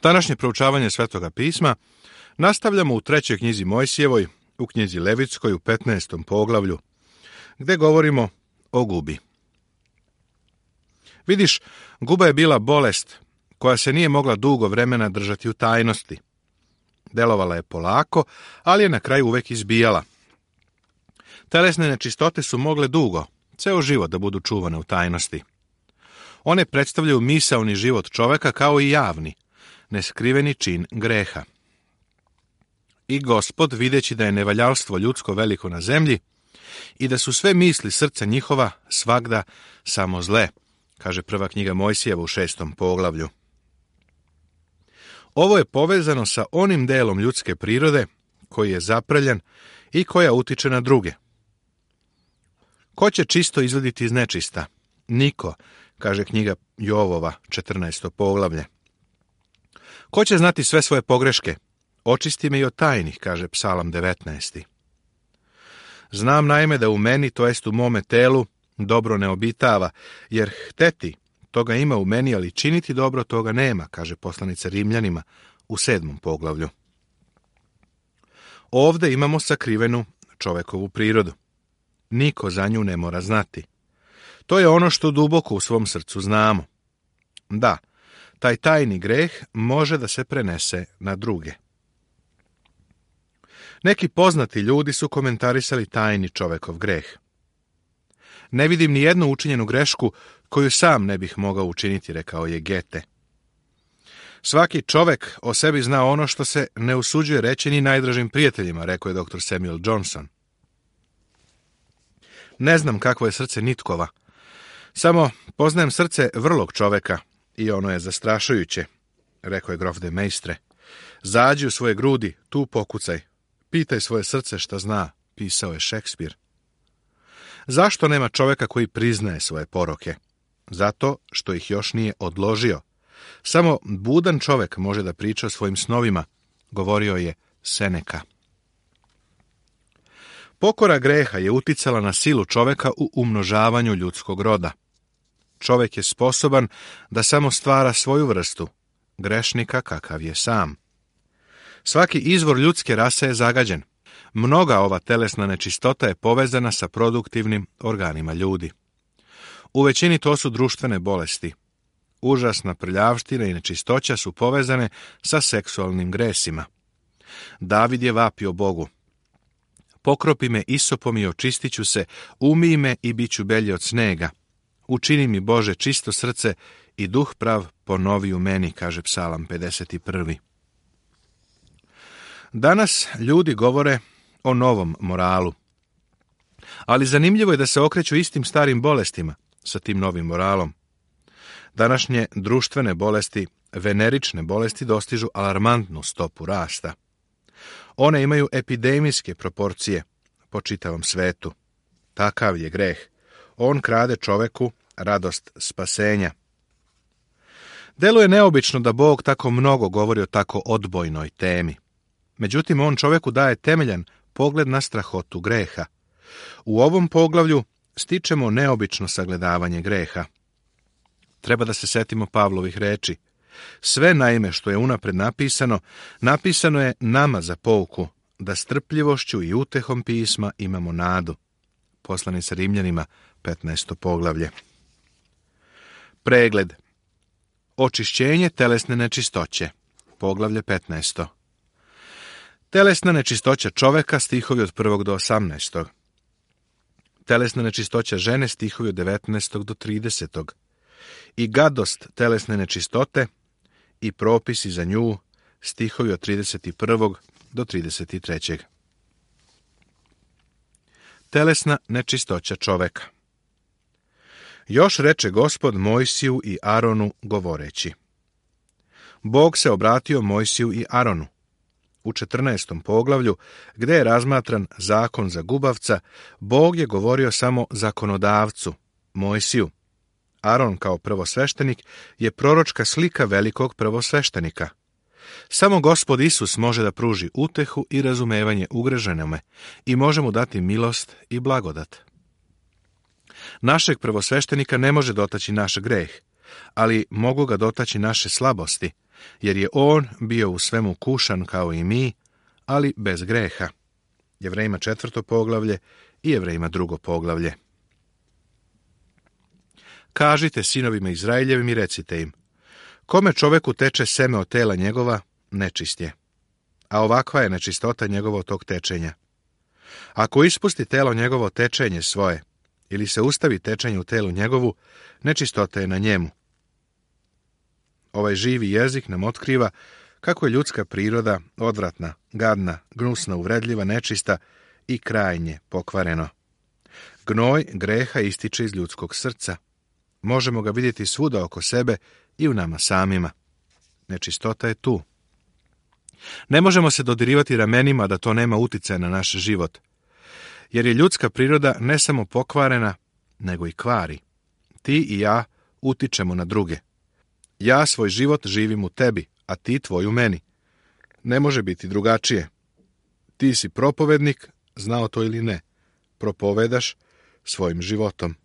Današnje proučavanje Svetoga pisma nastavljamo u 3. knjizi Mojsijevoj, u knjizi Levitskoj u 15. poglavlju, gdje govorimo o gubi. Vidiš, guba je bila bolest koja se nije mogla dugo vremena držati u tajnosti. Delovala je polako, ali je na kraju uvek izbijala. Telesne nečistote su mogle dugo, ceo život da budu čuvane u tajnosti. One predstavljaju misaoni život čoveka kao i javni, neskriveni čin greha. I Gospod, videći da je nevaljalstvo ljudsko veliko na zemlji i da su sve misli srca njihova svagda samo zle, kaže prva knjiga Mojsijeva u 6. poglavlju. Ovo je povezano sa onim delom ljudske prirode koji je zaprljan i koja utiče na druge. Ko će čisto izvaditi iz nečista? Niko, kaže knjiga Jovova, 14. poglavlje. Ko će znati sve svoje pogreške? Očisti me i od tajnih, kaže Psalam 19. Znam naime da u meni, to jest u mome telu, dobro ne obitava, jer hteti, toga ima u meni, ali činiti dobro toga nema, kaže poslanica Rimljanima u 7. poglavlju. Ovde imamo sakrivenu čovekovu prirodu. Niko za nju ne mora znati. To je ono što duboko u svom srcu znamo. Da, taj tajni greh može da se prenese na druge. Neki poznati ljudi su komentarisali tajni čovekov greh. Ne vidim ni jednu učinjenu grešku koju sam ne bih mogao učiniti, rekao je Gete. Svaki čovek o sebi zna ono što se ne usuđuje reći ni najdražim prijateljima, rekao je dr. Samuel Johnson. Ne znam kakvo je srce nitkova. Samo poznajem srce vrlog čoveka i ono je zastrašujuće, rekao je grof de Maistre. Zađi u svoje grudi, tu pokucaj. Pitaj svoje srce šta zna, pisao je Šekspir. Zašto nema čoveka koji priznaje svoje poroke? Zato što ih još nije odložio. Samo budan čovek može da priča o svojim snovima, govorio je Seneka. Pokora greha je uticala na silu čoveka u umnožavanju ljudskog roda. Čovek je sposoban da samo stvara svoju vrstu, grešnika kakav je sam. Svaki izvor ljudske rase je zagađen. Mnoga ova telesna nečistota je povezana sa produktivnim organima ljudi. U većini to su društvene bolesti. Užasna prljavština i nečistoća su povezane sa seksualnim gresima. David je vapio Bogu. Pokropi me isopom i očistit ću se, umij me i bit ću belje od snega. Učini mi, Bože, čisto srce i duh prav ponovi u meni, kaže Psalam 51. Danas ljudi govore o novom moralu. Ali zanimljivo je da se okreću istim starim bolestima sa tim novim moralom. Današnje društvene bolesti, venerične bolesti, dostižu alarmantnu stopu rasta. One imaju epidemijske proporcije po čitavom svetu. Takav je greh. On krade čoveku radost spasenja. Deluje neobično da Bog tako mnogo govori o tako odbojnoj temi. Međutim, on čoveku daje temeljan pogled na strahotu greha. U ovom poglavlju stičemo neobično sagledavanje greha. Treba da se setimo Pavlovih reči. Sve naime što je unapred napisano, napisano je nama za pouku, da strpljivošću i utehom pisma imamo nadu. Poslanica Rimljanima, 15. poglavlje. Pregled. Očišćenje telesne nečistoće. Poglavlje 15. Telesna nečistoća čoveka, stihovi od 1. do 18. Telesna nečistoća žene, stihovi od 19. do 30. I gadost telesne nečistote i propisi za nju, stihovi od 31. do 33. Telesna nečistoća čoveka. Još reče Gospod Mojsiju i Aronu govoreći. Bog se obratio Mojsiju i Aronu. U 14. poglavlju, gde je razmatran zakon za gubavca, Bog je govorio samo zakonodavcu, Mojsiju. Aron kao prvosveštenik je proročka slika velikog prvosveštenika. Samo Gospod Isus može da pruži utehu i razumevanje ugreženome i može mu dati milost i blagodat. Našeg prvosveštenika ne može dotaći naš greh, ali mogu ga dotaći naše slabosti, jer je on bio u svemu kušan kao i mi, ali bez greha. Jevrejima 4. poglavlje i Jevrejima 2. poglavlje. Kažite sinovima Izraeljevim i recite im: kome čoveku teče seme od tela njegova, nečist je, a ovakva je nečistota njegovo tog tečenja. Ako ispusti telo njegovo tečenje svoje, ili se ustavi tečenje u telu njegovu, nečistota je na njemu. Ovaj živi jezik nam otkriva kako je ljudska priroda odvratna, gadna, gnusna, uvredljiva, nečista i krajnje pokvareno. Gnoj greha ističe iz ljudskog srca. Možemo ga vidjeti svuda oko sebe i u nama samima. Nečistota je tu. Ne možemo se dodirivati ramenima da to nema uticaja na naš život, jer je ljudska priroda ne samo pokvarena, nego i kvari. Ti i ja utičemo na druge. Ja svoj život živim u tebi, a ti tvoj u meni. Ne može biti drugačije. Ti si propovednik, znao to ili ne. Propovedaš svojim životom.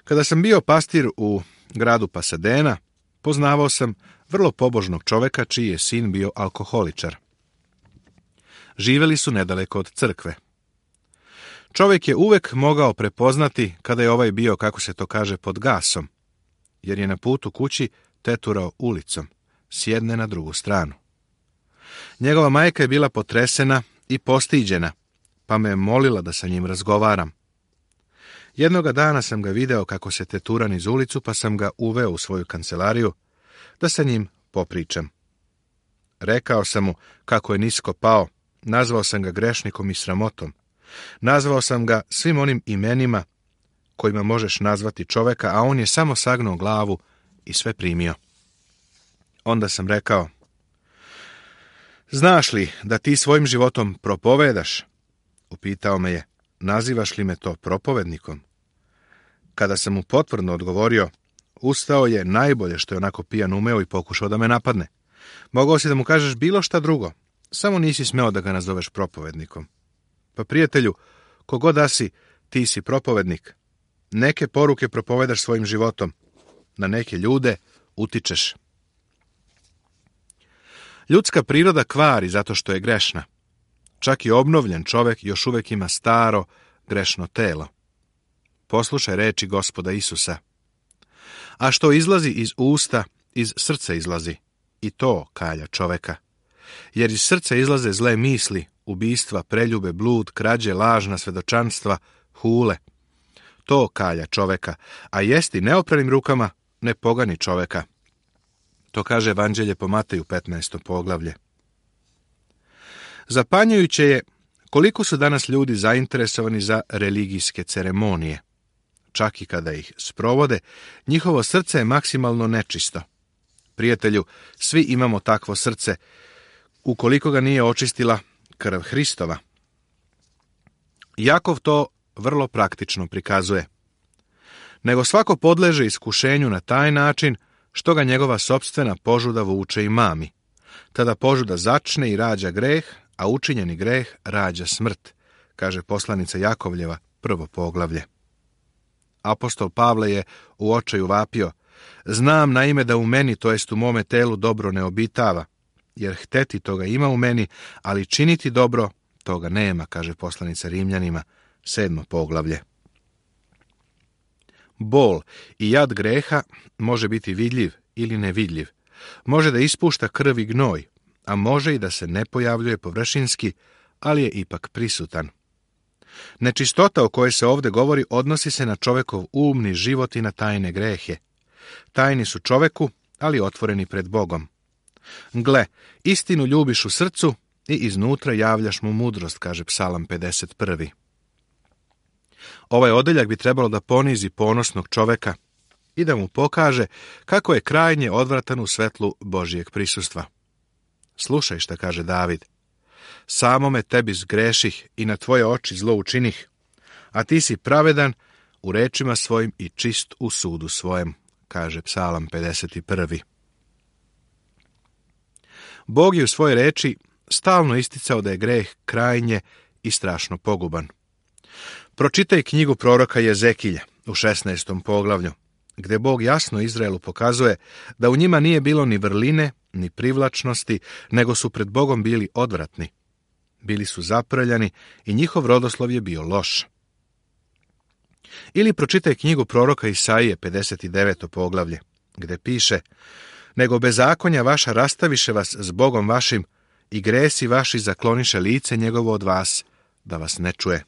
Kada sam bio pastir u gradu Pasadena, poznavao sam vrlo pobožnog čoveka čiji je sin bio alkoholičar. Živeli su nedaleko od crkve. Čovjek je uvek mogao prepoznati kada je ovaj bio, kako se to kaže, pod gasom, jer je na putu kući teturao ulicom, s jedne na drugu stranu. Njegova majka je bila potresena i postiđena, pa me je molila da sa njim razgovaram. Jednoga dana sam ga video kako se tetura niz ulicu, pa sam ga uveo u svoju kancelariju da sa njim popričam. Rekao sam mu kako je nisko pao, nazvao sam ga grešnikom i sramotom. Nazvao sam ga svim onim imenima kojima možeš nazvati čoveka, a on je samo sagnuo glavu i sve primio. Onda sam rekao: znaš li da ti svojim životom propovedaš? Upitao me je: nazivaš li me to propovednikom? Kada sam mu potvrdno odgovorio, ustao je najbolje što je onako pijan umeo i pokušao da me napadne. Mogao si da mu kažeš bilo šta drugo, samo nisi smeo da ga nazoveš propovednikom. Pa prijatelju, kogod da si, ti si propovednik. Neke poruke propovedaš svojim životom, na neke ljude utičeš. Ljudska priroda kvari zato što je grešna. Čak i obnovljen čovjek još uvijek ima staro, grešno telo. Poslušaj reči Gospoda Isusa. A što izlazi iz usta, iz srca izlazi, i to kalja čoveka. Jer iz srca izlaze zle misli, ubistva, preljube, blud, krađe, lažna svedočanstva, hule. To kalja čoveka, a jesti neopranim rukama ne pogani čoveka. To kaže Evanđelje po Mateju 15. poglavlje. Zapanjujuće je koliko su danas ljudi zainteresovani za religijske ceremonije. Čak i kada ih sprovode, njihovo srce je maksimalno nečisto. Prijatelju, svi imamo takvo srce, ukoliko ga nije očistila krv Hristova. Jakov to vrlo praktično prikazuje. Nego svako podleže iskušenju na taj način što ga njegova sopstvena požuda vuče i mami. Tada požuda začne i rađa greh, a učinjeni greh rađa smrt, kaže poslanica Jakovljeva, 1. poglavlje. Apostol Pavle je u očaju vapio: znam naime da u meni, to jest u mome telu, dobro ne obitava, jer hteti toga ima u meni, ali činiti dobro toga nema, kaže poslanica Rimljanima, 7. poglavlje. Bol i jad greha može biti vidljiv ili nevidljiv. Može da ispušta krv i gnoj, a može i da se ne pojavljuje površinski, ali je ipak prisutan. Nečistota o kojoj se ovdje govori odnosi se na čovekov umni život i na tajne grehe. Tajni su čoveku, ali otvoreni pred Bogom. Gle, istinu ljubiš u srcu i iznutra javljaš mu mudrost, kaže Psalam 51. Ovaj odeljak bi trebalo da ponizi ponosnog čoveka i da mu pokaže kako je krajnje odvratan u svetlu Božijeg prisustva. Slušaj šta kaže David: samome tebi zgreših i na tvoje oči zlo učinih, a ti si pravedan u rečima svojim i čist u sudu svojem, kaže Psalam 51. Bog je u svojoj reči stalno isticao da je greh krajnje i strašno poguban. Pročitaj knjigu proroka Jezekilja u 16. poglavlju. gdje Bog jasno Izraelu pokazuje da u njima nije bilo ni vrline, ni privlačnosti, nego su pred Bogom bili odvratni. Bili su zaprljani i njihov rodoslov je bio loš. Ili pročitaj knjigu proroka Isaije, 59. poglavlje, gdje piše: nego bezakonja vaša rastaviše vas s Bogom vašim i gresi vaši zakloniše lice njegovo od vas, da vas ne čuje.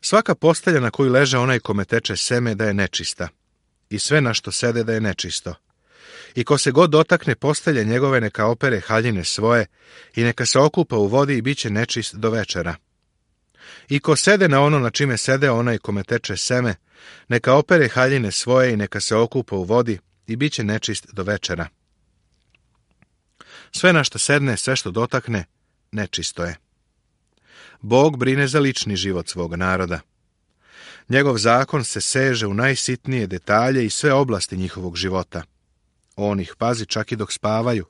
Svaka postelja na koju leže onaj kome teče seme da je nečista, i sve na što sede da je nečisto. I ko se god dotakne postelje njegove, neka opere haljine svoje i neka se okupa u vodi i bit će nečist do večera. I ko sede na ono na čime sede onaj kome teče seme, neka opere haljine svoje i neka se okupa u vodi i bit će nečist do večera. Sve na što sedne, sve što dotakne, nečisto je. Bog brine za lični život svog naroda. Njegov zakon se seže u najsitnije detalje i sve oblasti njihovog života. On ih pazi čak i dok spavaju.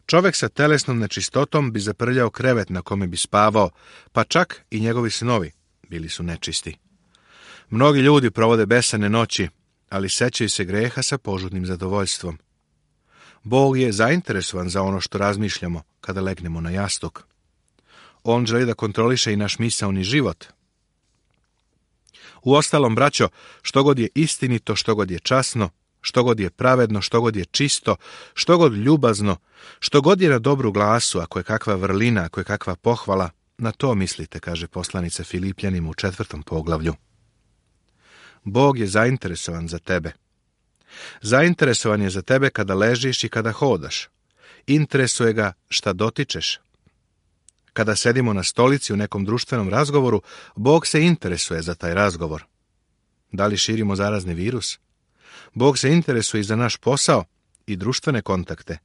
Čovjek sa telesnom nečistotom bi zaprljao krevet na kome bi spavao, pa čak i njegovi snovi bili su nečisti. Mnogi ljudi provode besane noći, ali sećaju se greha sa požudnim zadovoljstvom. Bog je zainteresovan za ono što razmišljamo kada legnemo na jastuk. On želi da kontroliše i naš misaoni život. Uostalom, braćo, što god je istinito, što god je časno, što god je pravedno, što god je čisto, što god ljubazno, što god je na dobru glasu, ako je kakva vrlina, ako je kakva pohvala, na to mislite, kaže poslanica Filipljanima u 4. poglavlju. Bog je zainteresovan za tebe. Zainteresovan je za tebe kada ležiš i kada hodaš. Interesuje ga šta dotičeš. Kada sedimo na stolici u nekom društvenom razgovoru, Bog se interesuje za taj razgovor. Da li širimo zarazni virus? Bog se interesuje i za naš posao i društvene kontakte.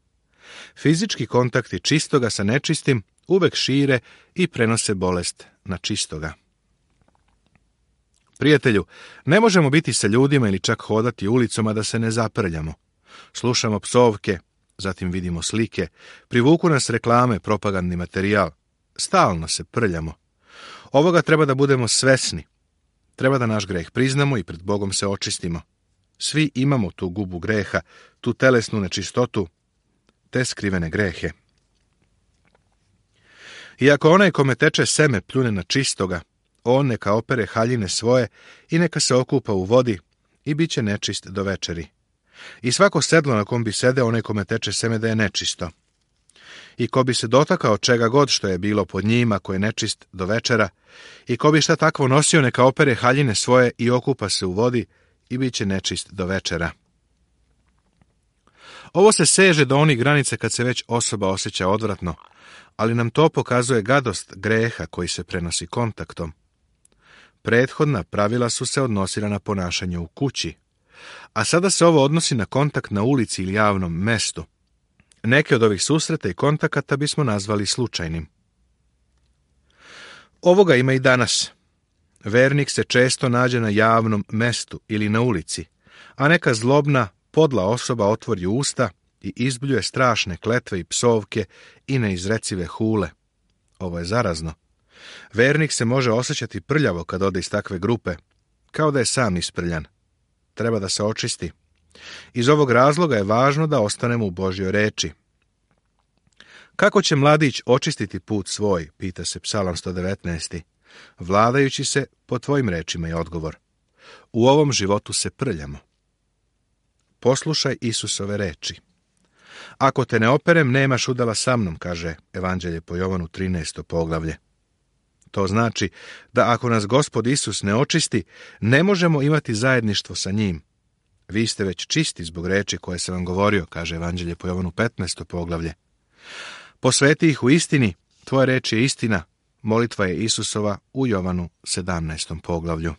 Fizički kontakti čistoga sa nečistim uvek šire i prenose bolest na čistoga. Prijatelju, ne možemo biti sa ljudima ili čak hodati ulicom, a da se ne zaprljamo. Slušamo psovke, zatim vidimo slike, privuku nas reklame, propagandni materijal. Stalno se prljamo. Ovoga treba da budemo svesni. Treba da naš greh priznamo i pred Bogom se očistimo. Svi imamo tu gubu greha, tu telesnu nečistotu, te skrivene grehe. I ako onaj kome teče seme pljune na čistoga, on neka opere haljine svoje i neka se okupa u vodi i bit će nečist do večeri. I svako sedlo na kom bi sedeo onaj kome teče seme da je nečisto. I ko bi se dotakao čega god što je bilo pod njima, ko je nečist do večera, i ko bi šta takvo nosio, neka opere haljine svoje i okupa se u vodi i bit će nečist do večera. Ovo se seže do onih granica kad se već osoba osjeća odvratno, ali nam to pokazuje gadost greha koji se prenosi kontaktom. Prethodna pravila su se odnosila na ponašanje u kući, a sada se ovo odnosi na kontakt na ulici ili javnom mestu. Neke od ovih susreta i kontakata bismo nazvali slučajnim. Ovoga ima i danas. Vernik se često nađe na javnom mestu ili na ulici, a neka zlobna, podla osoba otvori usta i izbljuje strašne kletve i psovke i neizrecive hule. Ovo je zarazno. Vernik se može osjećati prljavo kad ode iz takve grupe, kao da je sam isprljan. Treba da se očisti. Iz ovog razloga je važno da ostanemo u Božjoj reči. Kako će mladić očistiti put svoj, pita se Psalam 119. Vladajući se po tvojim rečima je odgovor. U ovom životu se prljamo. Poslušaj Isusove reči. Ako te ne operem, nemaš udjela sa mnom, kaže Evanđelje po Jovanu 13. poglavlje. To znači da ako nas Gospod Isus ne očisti, ne možemo imati zajedništvo sa njim. Vi ste već čisti zbog reči koje sam vam govorio, kaže Evanđelje po Jovanu 15. poglavlje. Posveti ih u istini, tvoja reč je istina, molitva je Isusova u Jovanu 17. poglavlju.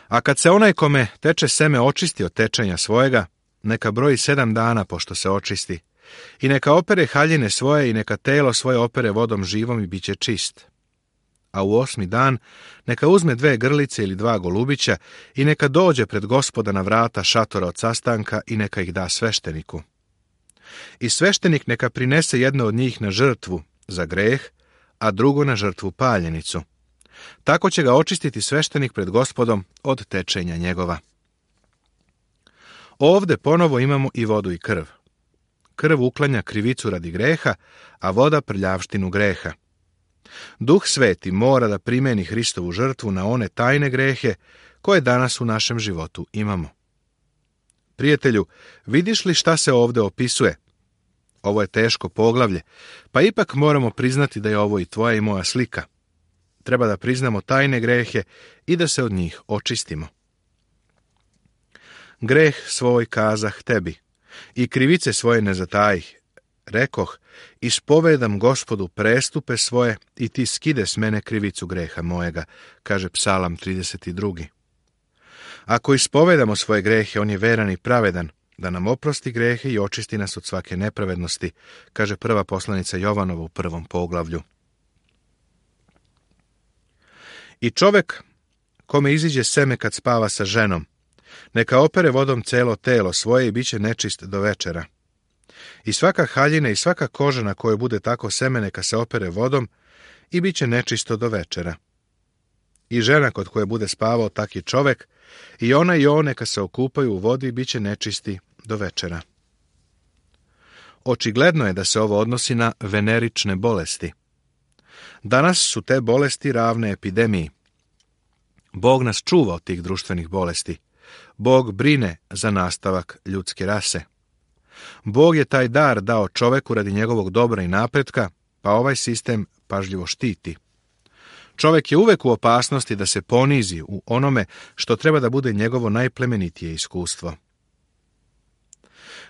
A kad se onaj kome teče seme očisti od tečenja svojega, neka broji 7 dana pošto se očisti, i neka opere haljine svoje i neka telo svoje opere vodom živom i bit će čist. A u 8. dan neka uzme 2 grlice ili 2 golubića i neka dođe pred Gospoda na vrata šatora od sastanka i neka ih da svešteniku. I sveštenik neka prinese jedno od njih na žrtvu za greh, a drugo na žrtvu paljenicu. Tako će ga očistiti sveštenik pred Gospodom od tečenja njegova. Ovde ponovo imamo i vodu i krv. Krv uklanja krivicu radi greha, a voda prljavštinu greha. Duh Sveti mora da primeni Hristovu žrtvu na one tajne grehe koje danas u našem životu imamo. Prijatelju, vidiš li šta se ovde opisuje? Ovo je teško poglavlje, pa ipak moramo priznati da je ovo i tvoja i moja slika. Treba da priznamo tajne grehe i da se od njih očistimo. Greh svoj kazah tebi i krivice svoje ne zatajih. Rekoh, ispovedam Gospodu prestupe svoje i ti skide s mene krivicu greha mojega, kaže Psalam 32. Ako ispovedamo svoje grehe, on je veran i pravedan, da nam oprosti grehe i očisti nas od svake nepravednosti, kaže prva poslanica Jovanova u 1. poglavlju. I čovek kome iziđe seme kad spava sa ženom, neka opere vodom celo telo svoje i bit će nečist do večera. I svaka haljina i svaka koža na kojoj bude tako seme neka se opere vodom i bit će nečisto do večera. I žena kod koje bude spavao taki čovek, i ona i on neka se okupaju u vodi i bit će nečisti do večera. Očigledno je da se ovo odnosi na venerične bolesti. Danas su te bolesti ravne epidemiji. Bog nas čuva od tih društvenih bolesti. Bog brine za nastavak ljudske rase. Bog je taj dar dao čoveku radi njegovog dobra i napretka, pa ovaj sistem pažljivo štiti. Čovek je uvek u opasnosti da se ponizi u onome što treba da bude njegovo najplemenitije iskustvo.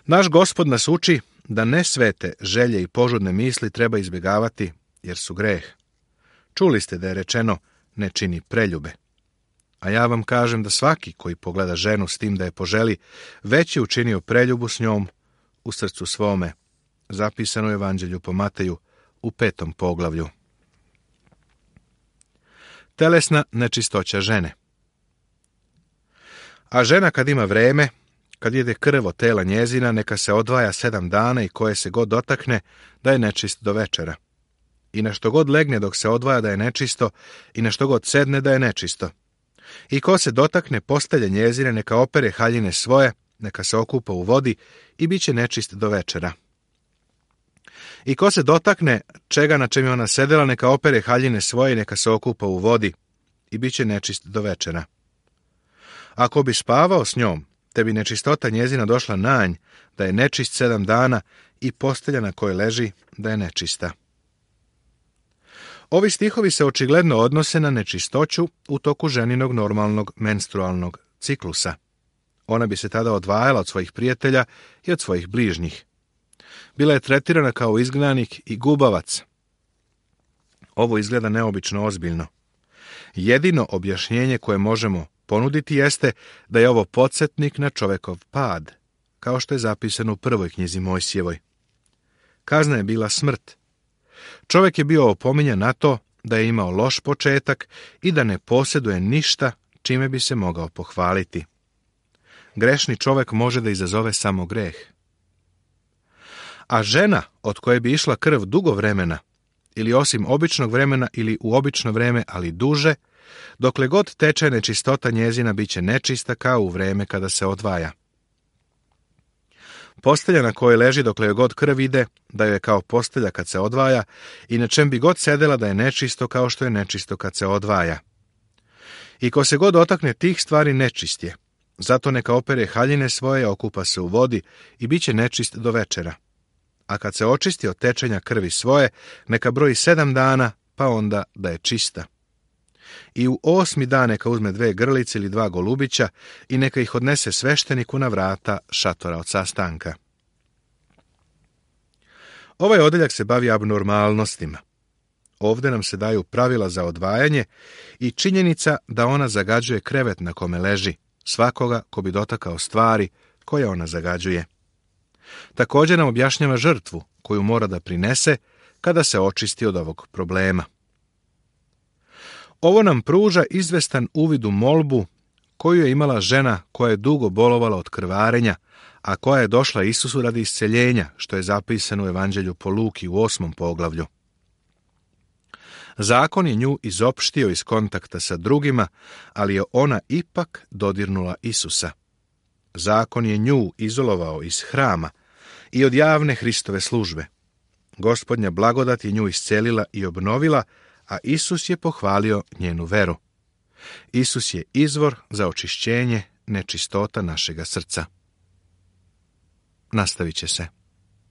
Naš Gospod nas uči da nesvete želje i požudne misli treba izbjegavati, jer su greh. Čuli ste da je rečeno, ne čini preljube. A ja vam kažem da svaki koji pogleda ženu s tim da je poželi, već je učinio preljubu s njom u srcu svome. Zapisano u Evanđelju po Mateju u 5. poglavlju. Telesna nečistoća žene. A žena kad ima vreme, kad jede krv od tela njezina, neka se odvaja 7 dana i koje se god dotakne, da je nečist do večera. I na što god legne dok se odvaja da je nečisto, i na što god sedne da je nečisto. I ko se dotakne postelje njezine, neka opere haljine svoje, neka se okupa u vodi i bit će nečist do večera. I ko se dotakne čega na čem je ona sedela, neka opere haljine svoje i neka se okupa u vodi i bit će nečist do večera. Ako bi spavao s njom, te bi nečistota njezina došla na nj, da je nečist 7 dana i postelja na kojoj leži da je nečista. Ovi stihovi se očigledno odnose na nečistoću u toku ženinog normalnog menstrualnog ciklusa. Ona bi se tada odvajala od svojih prijatelja i od svojih bližnjih. Bila je tretirana kao izgnanik i gubavac. Ovo izgleda neobično ozbiljno. Jedino objašnjenje koje možemo ponuditi jeste da je ovo podsjetnik na čovekov pad, kao što je zapisano u 1. knjizi Mojsijevoj. Kazna je bila smrt. Čovjek je bio opominjan na to da je imao loš početak i da ne posjeduje ništa čime bi se mogao pohvaliti. Grešni čovjek može da izazove samo greh. A žena od koje bi išla krv dugo vremena, ili osim običnog vremena ili u obično vreme, ali duže, dokle god teče nečistota njezina bit će nečista kao u vreme kada se odvaja. Postelja na kojoj leži dokle joj god krv ide, da joj je kao postelja kad se odvaja, i na čem bi god sedela da je nečisto kao što je nečisto kad se odvaja. I ko se god dotakne tih stvari nečist je, zato neka opere haljine svoje, okupa se u vodi i bit će nečist do večera. A kad se očisti od tečenja krvi svoje, neka broji 7 dana, pa onda da je čista. I u 8. dan neka uzme 2 grlice ili 2 golubića i neka ih odnese svešteniku na vrata šatora od sastanka. Ovaj odeljak se bavi abnormalnostima. Ovdje nam se daju pravila za odvajanje i činjenica da ona zagađuje krevet na kome leži, svakoga ko bi dotakao stvari koje ona zagađuje. Također nam objašnjava žrtvu koju mora da prinese kada se očisti od ovog problema. Ovo nam pruža izvestan uvid u molbu koju je imala žena koja je dugo bolovala od krvarenja, a koja je došla Isusu radi isceljenja, što je zapisano u Evanđelju po Luki u 8. poglavlju. Zakon je nju izopštio iz kontakta sa drugima, ali je ona ipak dodirnula Isusa. Zakon je nju izolovao iz hrama i od javne Hristove službe. Gospodnja blagodat je nju iscelila i obnovila, a Isus je pohvalio njenu veru. Isus je izvor za očišćenje nečistota našega srca. Nastavit će se.